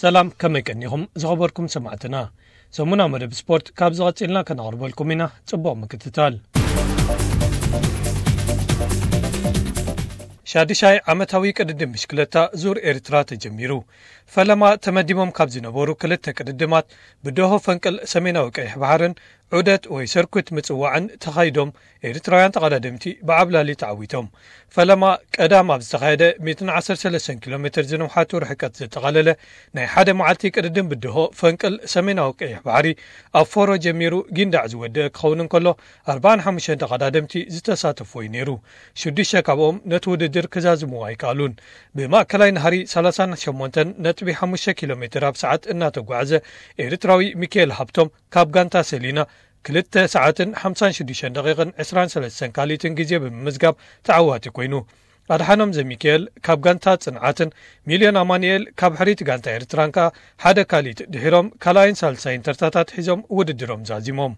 ሰላም፣ ከመይ ቀኒኹም ዝኸበርኩም ሰማዕትና? ሰሙና መደብ ስፖርት ካብ ዝቐጺልና ከነቕርበልኩም ኢና። ጽቡቕ ምክትታል። ሻድሻይ ዓመታዊ ቅድድም ብሽክለታ ዙር ኤርትራ ተጀሚሩ። ፈለማ ተመዲቦም ካብ ዝነበሩ ክልተ ቅድድማት፣ ብደሆ ፈንቅል ሰሜናዊ ቀይሕ ባሕርን ዑደት ወይ ሰርኩት ምጽዋዕን ተኻይዶም፣ ኤርትራውያን ተቐዳደምቲ ብዓብላሊ ተዓዊቶም። ፈለማ ቀዳም ኣብ ዝተኻየደ ሚእትን ዓሰርተ ሰለስተን ኪሎ ሜትር ዝንውሓቱ ርሕቀት ዘጠቓለለ ናይ ሓደ መዓልቲ ቅድድም ብድሆ ፈንቅል ሰሜናዊ ቀይሕ ባሕሪ ኣብ ፎሮ ጀሚሩ ጊንዳዕ ዝወደአ ክኸውን እንከሎ፣ ኣርባዓን ሓሙሽተን ተቐዳደምቲ ዝተሳተፍዎ እዩ ነይሩ። ሽዱሽተ ካብኦም ነቲ ውድድር ክዛዝምዎ ኣይከኣሉን። ብማእከላይ ናህሪ ሰላሳን ሸሞንተን ነጥቢ ሓሙሽተ ኪሎ ሜትር ኣብ ሰዓት እናተጓዕዘ፣ ኤርትራዊ ሚካኤል ሃብቶም ካብ ጋንታ ሰሊና ክልተ ሰዓትን ሓምሳን ሽዱሽተን ደቂቕን ዕስራን ሰለስተን ካልኢትን ግዜ ብምምዝጋብ ተዓዋቲ ኮይኑ። ኣድሓኖም ዘሚካኤል ካብ ጋንታ ጽንዓትን ሚልዮን ኣማኑኤል ካብ ሕሪት ጋንታ ኤርትራን ከኣ ሓደ ካልኢት ድሒሮም ካልኣይን ሳልሳይን ተርታታት ሒዞም ውድድሮም ዛዚሞም።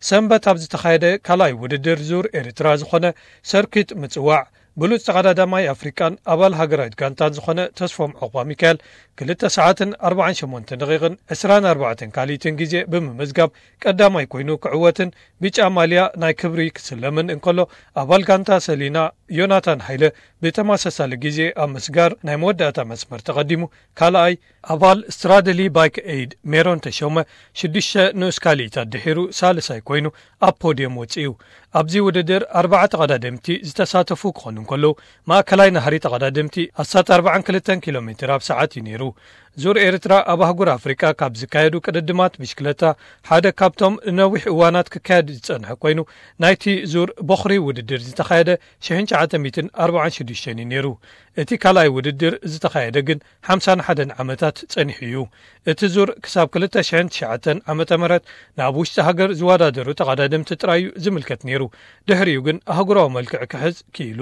ሰንበት ኣብ ዝተኻየደ ካልኣይ ውድድር ዙር ኤርትራ ዝኾነ ሰርኪት ምጽዋዕ፣ ብሉጽ ተቐዳዳማይ ኣፍሪቃን ኣባል ሃገራዊት ጋንታን ዝኾነ ተስፎም ዑቕባ ሚካኤል ክልተ ሰዓትን ኣርባዓን ሸሞንተን ደቂቕን ዕስራን ኣርባዕተን ካልኢትን ግዜ ብምምዝጋብ ቀዳማይ ኮይኑ ክዕወትን ብጫ ማልያ ናይ ክብሪ ክስለምን እንከሎ፣ ኣባል ጋንታ ሰሊና ዮናታን ሃይለ ብተመሳሳሊ ግዜ ኣብ ምስጋር ናይ መወዳእታ መስመር ተቐዲሙ ካልኣይ፣ ኣባል ስትራደሊ ባይክ ኤይድ ሜሮን ተሾመ ሽዱሽተ ንኡስ ካልኢታት ድሒሩ ሳልሳይ ኮይኑ ኣብ ፖድየም ወጺኡ። ኣብዚ ውድድር ኣርባዕተ ተቐዳደምቲ ዝተሳተፉ ክኾኑ እንከለዉ፣ ማእከላይ ናህሪ ተቐዳደምቲ ኣስታት ኣርባዓን ክልተን ኪሎ ሜትር ኣብ ሰዓት እዩ ነይሩ። ዙር ኤርትራ ኣብ ኣህጉር ኣፍሪቃ ካብ ዝካየዱ ቅድድማት ብሽክለታ ሓደ ካብቶም ንነዊሕ እዋናት ክካየድ ዝጸንሐ ኮይኑ፣ ናይቲ ዙር በኹሪ ውድድር ዝተኻየደ ሽሕን ትሽዓተ ሚእትን ኣርባዓን ሽዱሽተን እዩ ነይሩ። እቲ ካልኣይ ውድድር ዝተኻየደ ግን ሓምሳን ሓደን ዓመታት ጸኒሑ እዩ። እቲ ዙር ክሳብ ክልተ ሽሕን ትሽዓተን ዓመተ ምህረት ናብ ውሽጢ ሃገር ዝወዳደሩ ተቐዳደምቲ ጥራይ እዩ ዝምልከት ነይሩ። ድሕሪኡ ግን ኣህጉራዊ መልክዕ ክሕዝ ክኢሉ።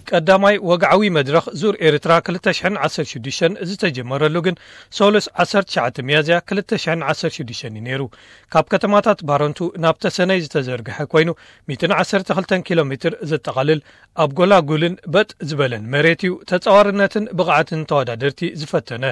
ቀዳማይ ወግዓዊ መድረኽ ዙር ኤርትራ ክልተ ሽሕን ዓሰርተ ሽዱሽተን ዝተጀመረሉ ግን ሰሉስ ዓሰርተ ትሽዓተ ሚያዝያ ክልተ ሽሕን ዓሰርተ ሽዱሽተን እዩ ነይሩ። ካብ ከተማታት ባረንቱ ናብ ተሰነይ ዝተዘርግሐ ኮይኑ፣ ሚእትን ዓሰርተ ክልተን ኪሎ ሜትር ዘጠቓልል ኣብ ጎላጉልን በጥ ዝበለን መሬት እዩ። ተጻዋርነትን ብቕዓትን ተወዳደርቲ ዝፈተነ።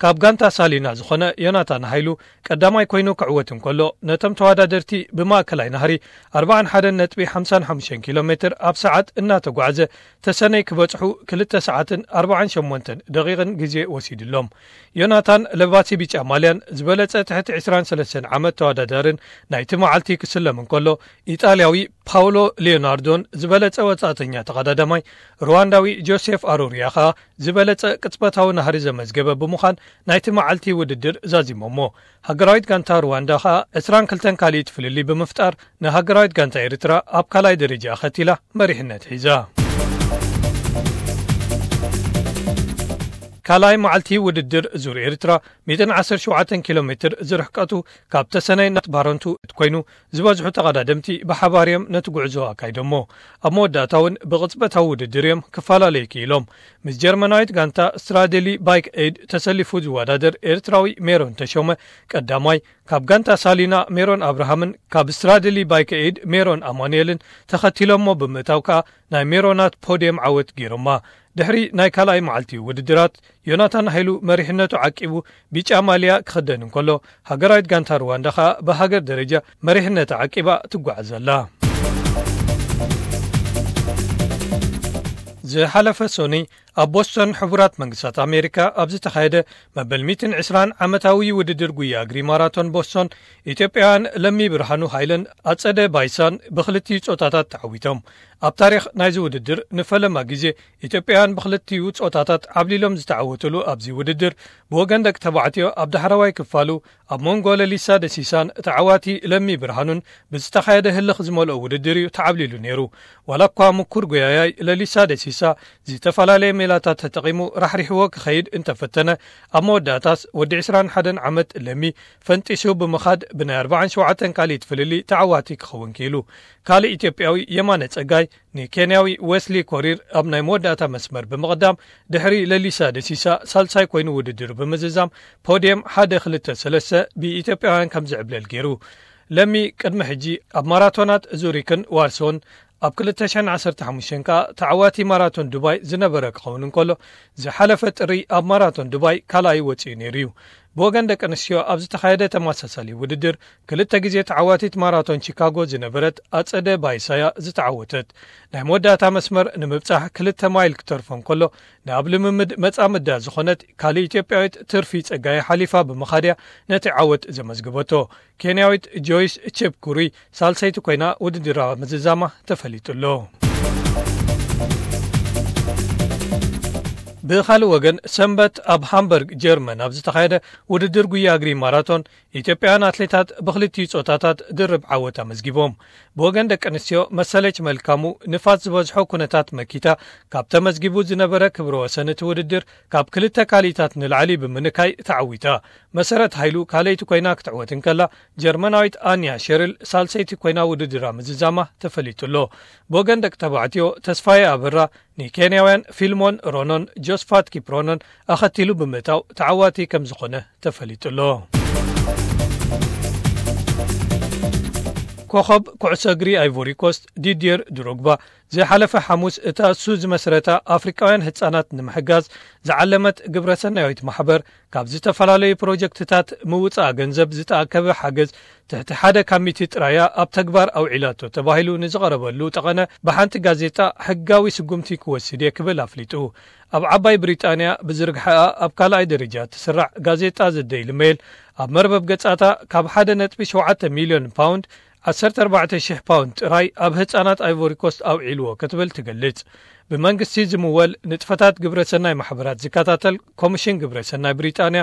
ካብ ጋንታ ሳሊና ዝኾነ ዮናታን ሃይሉ ቀዳማይ ኮይኑ ክዕወት እንከሎ፣ ነቶም ተወዳደርቲ ብማእከላይ ናህሪ ኣርባዓን ሓደን ነጥቢ ሓምሳን ሓሙሽተን ኪሎ ሜትር ኣብ ሰዓት እናተጓዕዘ ተሰነይ ክበጽሑ ክልተ ሰዓትን ኣርባዓን ሸሞንተን ደቂቕን ግዜ ወሲድሎም። ዮናታን ለባሲ ቢጫ ማልያን ዝበለጸ ትሕቲ ዕስራን ሰለስተን ዓመት ተወዳዳርን ናይቲ መዓልቲ ክስለም እንከሎ፣ ኢጣልያዊ ፓውሎ ሊዮናርዶን ዝበለጸ ወጻእተኛ ተቐዳዳማይ ሩዋንዳዊ ጆሴፍ ኣሮሪያ ኸኣ ዝበለጸ ቅጽበታዊ ናህሪ ዘመዝገበ ብምዃን ናይቲ መዓልቲ ውድድር ዛዚሞሞ። ሃገራዊት ጋንታ ሩዋንዳ ኸኣ ዕስራን ክልተን ካልኢት ፍልልይ ብምፍጣር ንሃገራዊት ጋንታ ኤርትራ ኣብ ካልኣይ ደረጃ ኣኸቲላ መሪሕነት ሒዛ። ካልኣይ መዓልቲ ውድድር ዙር ኤርትራ ሚእትን ዓሰርተ ሸውዓተን ኪሎ ሜትር ዝርሕቀቱ ካብ ተሰነይ ናት ባረንቱ ኮይኑ ዝበዝሑ ተቐዳደምቲ ብሓባር እዮም ነቲ ጉዕዞ ኣካይዶሞ። ኣብ መወዳእታ እውን ብቕጽበታዊ ውድድር እዮም ክፈላለዩ ክኢሎም። ምስ ጀርመናዊት ጋንታ ስትራደሊ ባይክ ኤድ ተሰሊፉ ዝወዳደር ኤርትራዊ ሜሮን ተሾመ ቀዳማይ፣ ካብ ጋንታ ሳሊና ሜሮን ኣብርሃምን ካብ ስትራደሊ ባይክ ኤድ ሜሮን ኣማኑኤልን ተኸቲሎሞ ብምእታው ከኣ ናይ ሜሮናት ፖድየም ዓወት ገይሮማ። ድሕሪ ናይ ካልኣይ መዓልቲ ውድድራት ዮናታን ሃይሉ መሪሕነቱ ዓቂቡ ቢጫ ማልያ ክኽደን እንከሎ፣ ሃገራዊት ጋንታ ሩዋንዳ ኸኣ ብሃገር ደረጃ መሪሕነታ ዓቂባ ትጓዓዝ ኣላ። ዝሓለፈ ሶኒ ኣብ ቦስቶን ሕቡራት መንግስታት ኣሜሪካ ኣብ ዝተኻየደ መበል ሚእትን ዕስራን ዓመታዊ ውድድር ጉያ እግሪ ማራቶን ቦስቶን፣ ኢትዮጵያውያን ለሚ ብርሃኑ ሃይለን ኣጸደ ባይሳን ብኽልቲኡ ጾታታት ተዓዊቶም። ኣብ ታሪኽ ናይዚ ውድድር ንፈለማ ግዜ ኢትዮጵያውያን ብኽልቲኡ ጾታታት ዓብሊሎም ዝተዓወትሉ ኣብዚ ውድድር፣ ብወገን ደቂ ተባዕትዮ ኣብ ዳሕረዋይ ክፋሉ ኣብ መንጎ ለሊሳ ደሲሳን ተዓዋቲ ለሚ ብርሃኑን ብዝተኻየደ ህልኽ ዝመልኦ ውድድር እዩ ተዓብሊሉ ነይሩ። ዋላ እኳ ምኩር ጎያያይ ለሊሳ ደሲሳ ዝተፈላለየ ሜላታት ተጠቒሙ ራሕሪሕዎ ክኸይድ እንተፈተነ፣ ኣብ መወዳእታስ ወዲ ዕስራን ሓደን ዓመት ለሚ ፈንጢሱ ብምኻድ ብናይ ኣርባዓን ሸውዓተን ካልኢት ፍልልይ ተዓዋቲ ክኸውን ክኢሉ። ካልእ ኢትዮጵያዊ የማነ ጸጋይ ንኬንያዊ ዌስሊ ኮሪር ኣብ ናይ መወዳእታ መስመር ብምቕዳም፣ ድሕሪ ለሊሳ ደሲሳ ሳልሳይ ኮይኑ ውድድር ብምዝዛም፣ ፖድየም ሓደ ክልተ ሰለስተ ብኢትዮጵያውያን ከም ዝዕብለል ገይሩ። ለሚ ቅድሚ ሕጂ ኣብ ማራቶናት ዙሪክን ዋርሶን ኣብ ክልተ ሽሕን ዓሰርተ ሓሙሽተን ከኣ ተዓዋቲ ማራቶን ዱባይ ዝነበረ ክኸውን እንከሎ፣ ዝሓለፈ ጥሪ ኣብ ማራቶን ዱባይ ካልኣይ ወጺኡ ነይሩ እዩ። ብወገን ደቂ ኣንስትዮ ኣብ ዝተኻየደ ተመሳሳሊ ውድድር፣ ክልተ ግዜ ተዓዋቲት ማራቶን ቺካጎ ዝነበረት ኣጸደ ባይሳያ ዝተዓወተት። ናይ መወዳእታ መስመር ንምብጻሕ ክልተ ማይል ክተርፎ እንከሎ፣ ናብ ልምምድ መጻምዳ ዝኾነት ካልእ ኢትዮጵያዊት ትርፊ ጸጋይ ሓሊፋ ብምኻድያ ነቲ ዓወት ዘመዝግበቶ። ኬንያዊት ጆይስ ቼፕኩሪ ሳልሰይቲ ኮይና ውድድራ ምዝዛማ ተፈሊጡ ኣሎ። ብኻልእ ወገን፣ ሰንበት ኣብ ሃምበርግ ጀርመን ኣብ ዝተኻየደ ውድድር ጉያ እግሪ ማራቶን፣ ኢትዮጵያውያን ኣትሌታት ብክልቲኡ ጾታታት ድርብ ዓወት ኣመዝጊቦም። ብወገን ደቂ ኣንስትዮ፣ መሰለች መልካሙ ንፋስ ዝበዝሖ ኩነታት መኪታ፣ ካብ ተመዝጊቡ ዝነበረ ክብረ ወሰን እቲ ውድድር ካብ ክልተ ካልኢታት ንላዕሊ ብምንካይ ተዓዊታ። መሰረት ሃይሉ ካልኣይቲ ኮይና ክትዕወት እንከላ፣ ጀርመናዊት ኣንያ ሸርል ሳልሰይቲ ኮይና ውድድራ ምዝዛማ ተፈሊጡ ኣሎ። ብወገን ደቂ ተባዕትዮ፣ ተስፋዬ ኣበራ ንኬንያውያን ፊልሞን ሮኖን ጆስፋት ኪፕሮኖን ኣኸቲሉ ብምእታው ተዓዋቲ ከም ዝኾነ ተፈሊጡ ኣሎ። ኮኸብ ኩዕሶ እግሪ ኣይቮሪ ኮስት ዲድየር ድሮግባ ዝሓለፈ ሓሙስ እታ እሱ ዝመስረታ ኣፍሪቃውያን ህጻናት ንምሕጋዝ ዝዓለመት ግብረሰናያዊት ማሕበር ካብ ዝተፈላለዩ ፕሮጀክትታት ምውጻእ ገንዘብ ዝተኣከበ ሓገዝ ትሕቲ ሓደ ካብ ሚእቲ ጥራያ ኣብ ተግባር ኣውዒላቶ ተባሂሉ ንዝቐረበሉ ጠቐነ ብሓንቲ ጋዜጣ ሕጋዊ ስጉምቲ ክወስድ እየ ክብል ኣፍሊጡ። ኣብ ዓባይ ብሪጣንያ ብዝርግሐኣ ኣብ ካልኣይ ደረጃ ትስራዕ ጋዜጣ ዘ ዴይሊ ሜል ኣብ መርበብ ገጻታ ካብ ሓደ ነጥቢ ሸውዓተ ሚልዮን ፓውንድ ዓሰርተ ኣርባዕተ ሽሕ ፓውንድ ጥራይ ኣብ ህጻናት ኣይቮሪ ኮስት ኣውዒልዎ ክትብል ትገልጽ። ብመንግስቲ ዝምወል ንጥፈታት ግብረ ሰናይ ማሕበራት ዝከታተል ኮሚሽን ግብረ ሰናይ ብሪጣንያ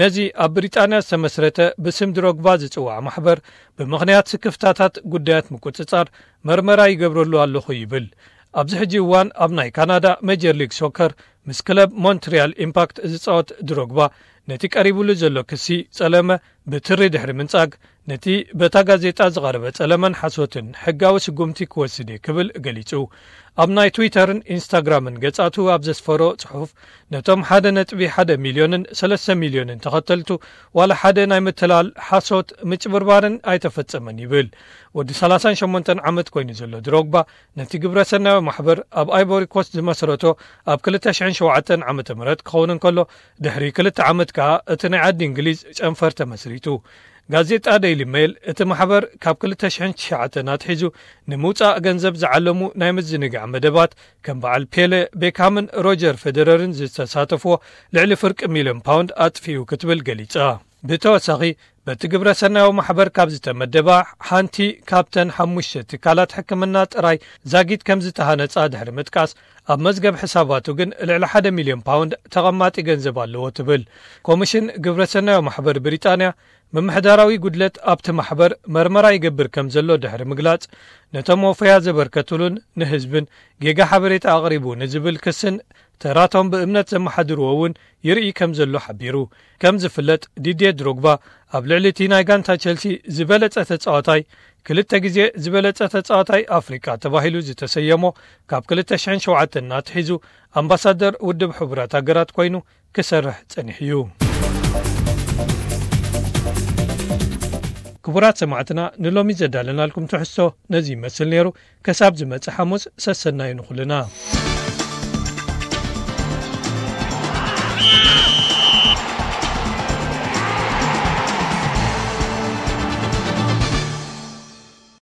ነዚ ኣብ ብሪጣንያ ዝተመስረተ ብስም ድሮግባ ዝጽዋዕ ማሕበር ብምኽንያት ስክፍታታት ጉዳያት ምቁጽጻር መርመራ ይገብረሉ ኣለኹ ይብል። ኣብዚ ሕጂ እዋን ኣብ ናይ ካናዳ ሜጀር ሊግ ሶከር ምስ ክለብ ሞንትሪያል ኢምፓክት ዝጻወት ድሮግባ ነቲ ቀሪቡሉ ዘሎ ክሲ ጸለመ ብትሪ ድሕሪ ምንጻግ ነቲ በታ ጋዜጣ ዝቐረበ ጸለመን ሓሶትን ሕጋዊ ስጉምቲ ክወስድ እየ ክብል ገሊጹ። ኣብ ናይ ትዊተርን ኢንስታግራምን ገጻቱ ኣብ ዘስፈሮ ጽሑፍ ነቶም ሓደ ነጥቢ ሓደ ሚልዮንን ሰለስተ ሚልዮንን ተኸተልቱ ዋላ ሓደ ናይ ምትላል ሓሶት ምጭብርባርን ኣይተፈጸመን ይብል። ወዲ ሰላሳን ሸሞንተን ዓመት ኮይኑ ዘሎ ድሮግባ ነቲ ግብረ ሰናያዊ ማሕበር ኣብ ኣይቮሪ ኮስት ዝመስረቶ ኣብ ክልተ ሽሕን ሸውዓተን ዓመተ ምህረት ክኸውን እንከሎ ድሕሪ ክልተ ዓመት ከኣ እቲ ናይ ዓዲ እንግሊዝ ጨንፈር ተመስሪቱ። ጋዜጣ ዴይሊ ሜል እቲ ማሕበር ካብ ክልተ ሽሕን ትሽዓተን ኣትሒዙ ንምውጻእ ገንዘብ ዝዓለሙ ናይ ምዝንጋዕ መደባት ከም በዓል ፔለ፣ ቤካምን ሮጀር ፌደረርን ዝተሳተፍዎ ልዕሊ ፍርቂ ሚልዮን ፓውንድ ኣጥፊኡ ክትብል ገሊጻ። ብተወሳኺ በቲ ግብረ ሰናያዊ ማሕበር ካብ ዝተመደባ ሓንቲ ካብተን ሓሙሽተ ትካላት ሕክምና ጥራይ ዛጊት ከም ዝተሃነጻ ድሕሪ ምጥቃስ ኣብ መዝገብ ሕሳባቱ ግን ልዕሊ ሓደ ሚልዮን ፓውንድ ተቐማጢ ገንዘብ ኣለዎ ትብል። ኮሚሽን ግብረ ሰናያዊ ማሕበር ብሪጣንያ ምምሕዳራዊ ጉድለት ኣብቲ ማሕበር መርመራ ይገብር ከም ዘሎ ድሕሪ ምግላጽ ነቶም ወፈያ ዘበርከትሉን ንህዝብን ጌጋ ሓበሬታ ኣቕሪቡ ንዝብል ክስን ተራቶም ብእምነት ዘመሓድርዎ እውን ይርኢ ከም ዘሎ ሓቢሩ። ከም ዝፍለጥ ዲድየ ድሮግባ ኣብ ልዕሊ እቲ ናይ ጋንታ ቸልሲ ዝበለጸ ተጻዋታይ ክልተ ግዜ ዝበለጸ ተጻዋታይ ኣፍሪቃ ተባሂሉ ዝተሰየሞ ካብ ክልተ ሽሕን ሸውዓተን ኣትሒዙ ኣምባሳደር ውድብ ሕቡራት ሃገራት ኮይኑ ክሰርሕ ጸኒሑ እዩ። ክቡራት ሰማዕትና ንሎሚ ዘዳለናልኩም ትሕዝቶ ነዚ ይመስል ነይሩ። ከሳብ ዝመጽእ ሓሙስ ሰሰናዩ ንኹልና።